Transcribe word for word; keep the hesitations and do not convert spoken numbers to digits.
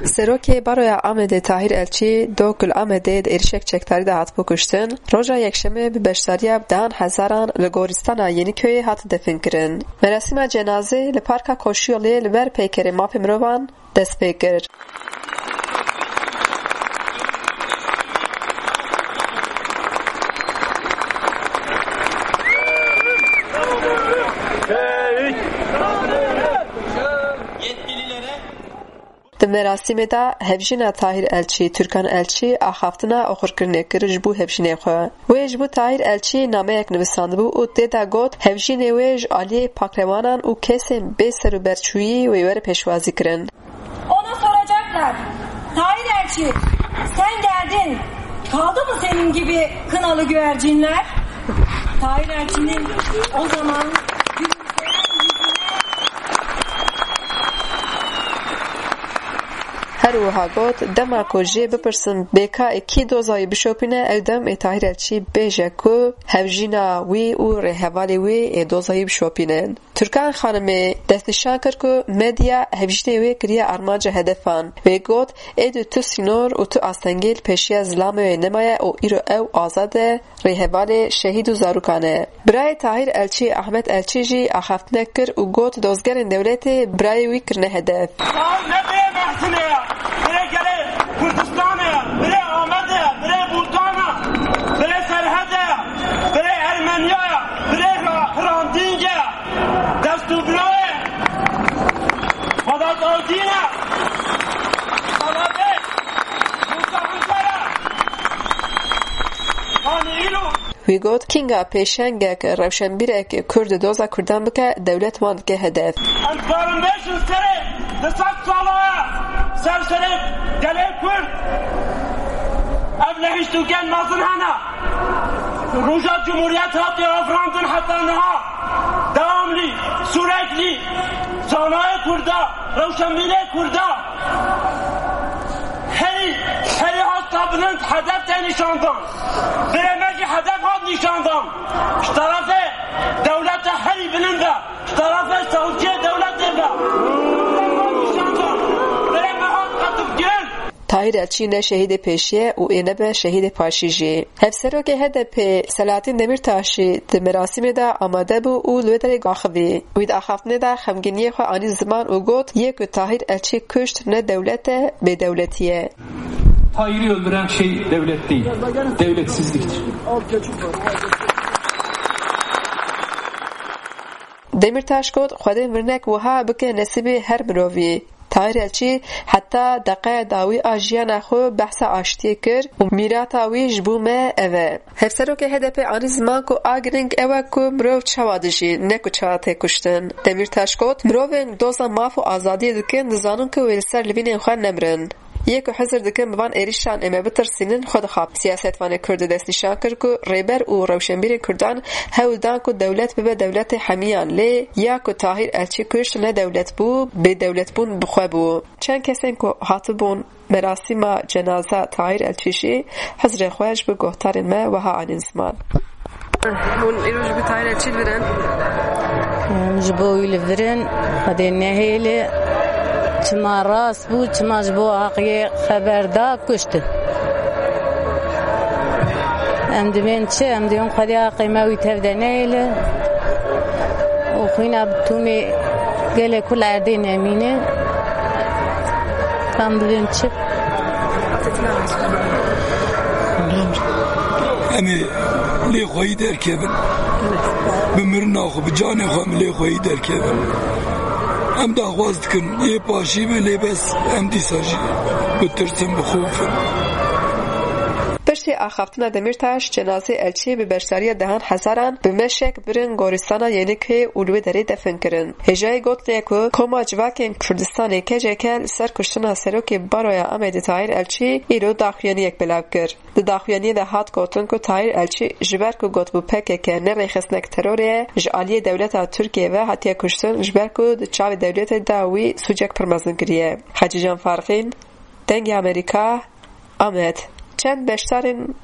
Serokê Baroya Amedê Tahîr Elçî, do ku li Amedê di êrişek çekdarî de hatibû kuştin, roja Yekşemê bi beşdariya dehan hezaran li goristana Yeniköy hat definkirin. Merasîma cenazê li Parka Koşuyolê li ber peykerê mafê mirovan dest pê kir. Di merasîmê de hevjîna Tahîr Elçî, Türkan Elçî axaftina oxirkirinê kir ji bo hevjînê xwe. Wê ji bo Tahîr Elçî nameyek nivîsandibû û tê de got, hevjînê wê ji aliyê pakrewanan û kesên bê serûberçûyî wê were pêşwazî kirin. Ona soracaklar, "Tahir Elçi, sen geldin. Kaldı mı senin gibi kınalı güvercinler?" Tahir Elçi'nin o zaman gülümseyen yüzüne Her wiha got, dema ku jê bipirsin bê ka ê kî doza wî bişopîne, ew dem ê Tahir Elçî bêje ku hevjîna wî û rêhevalê wî ê doza wî bişopînin. Türkan Xanimê destnîşan kir ku medya hevjînê wê kiriye armanca hedefan. Wê got, êdî tu sînor û tu astengî li pêşiya zilamê wê nemaye û îro ew azad e, rêhevalê şehîd û zarokan e. Birayê Tahîr Elçî, Ahmet Elçî jî axaftinek kir û got, dozgerên dewletê birayê wî kirine hedef. Sal ne birê Mehsinê ye, birê gelê Kurdistanê ye, birê Amedê ye, birê Bultanê ye, birê Serhedê ye, birê Ermeniya ye, birê Hrandîngê ye. Dest û birayê Vedat Altîn e. Salavê Musa Huncar e. Hanî îro Wî got, kînga pêşengek, rewşenbîrek Kurd doza Kurdan bike, dewlet wan dike hedef. Em dikarin bêjin serê du sed sala ye, ser serê gelê Kurd ev lehîştûkên mezin hene. Roja Cumhuriyet hatiye afirandin heta niha. Dewamlî, sürekli, zanayê Kurda, rewşenbîrê Kurda. Herî, herî hasta bilind hedef tê nîşandan. Birê me jî hedef hat nîşandan. Ji terefê dewleta herî bilind e. Ji terefê sewçiyê dewletê ve. Hedef hat nîşandan. Birê me hat qetilkirin. Tahîr Elçî ne şehîdê pêşî ye û ê nebe şehîdê paşî jî. Hevserokê H D P Selahattin Demirtaş jî di merasîmê de amade bû û li wê derê axivî. Wî di axaftinê de xemgîniyê xwe anî ziman û got, yê ku Tahîr Elçî kuşt ne dewlet e, bêdewletî ye. Tahir'i öldüren şey devlet değil, devletsizliktir. Demirtaş got, Xwedê mirinek wiha bike nesîbê her mirovî. Tahir Elçî heta deqeya dawî a jiyana xwe behsa aştiyê kir û mîrata wî ji bo me ev e. Hevserokê H D P anî ziman ku a giring ew e ku mirov çawa dijî, ne ku çawa tê kuştin. Demirtaş got, mirovên doza maf û azadiyê dikin, dizanin ku wê li ser livînên xwe nemirin. Yê ku hizir dikin bi van êrişan ê me bitirsînin, xwe dixapin. Siyasetvanê Kurd destnîşan kir ku rêber û rewşenbîrên Kurdan hewl dan ku dewlet bibe dewletê hemiyan, lê ya ku Tahîr Elçî kuşt ne dewlet bû, bêdewletbûn bi xwe bû. Çend kesên ku hatibûn merasîma cenaza Tahîr Elçî jî hizrê xwe ji bo guhdarên me wiha anîn ziman. Hûn îro ji bo Tahîr Elçî li vir in? Em ji bo wî li vir in, Xwedê nehêle. Çima rast bû, çima ji bo heqiyê xeber da, kuştin. Em dibên çi? Em dibên Xwedê heqê me wî tev de nehêle. Û xwîna bi tûmê gelê ku li erdê nemîne. Em dibên çi? Em ê lê xweyî derkevin. Bi mirina xwe, bi canê xwe em lê xweyî derkevin. Em daxwaz dikin, yê paşî be, lê bes em dîsa jî bitirsin, bixofin. Piştî axaftina Demîrtaş, cenazê Elçî bi beşdariya dehan hezaran bi meşek birin goristana Yeniköyê û li wê derê defin kirin. Hêjayî gotinê ku Koma Civakên Kurdistanê, K C K, li ser kuştina Serokê Baroya Amedê Tahîr Elçî îro daxuyaniyek belav kir. Di daxuyaniyê de hat gotin ku Tahîr Elçî ji ber ku gotibû P K K ne rêxistek terorê ye, ji aliyê dewleta Tirkiyê ve hatiye kuştin, ji ber ku di çavê dewletê de wî sûcek pir mezin kiriye. Hecîcan Farqîn, Dengê Amerîka, Amed. Çend beşdarên